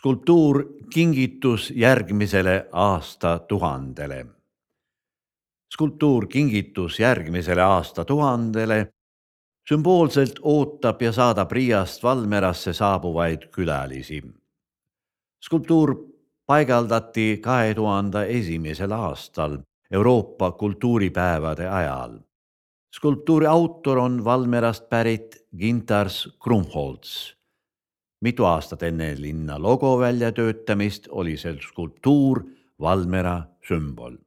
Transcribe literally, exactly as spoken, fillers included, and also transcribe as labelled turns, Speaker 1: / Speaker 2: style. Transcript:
Speaker 1: Skulptuur kingitus järgmisele aastatuhandele. Skulptuur kingitus järgmisele aastatuhandele sümboolselt ootab ja saadab Riiast Valmerasse saabuvaid külalisi. Skulptuur paigaldati kahe tuhande esimesel aastal Euroopa kultuuripäevade ajal. Skulptuuri autor on Valmerast pärit Gintars Krumholtz. Mitu aastat enne linna logo väljatöötamist oli see skulptuur Valmera sümbol.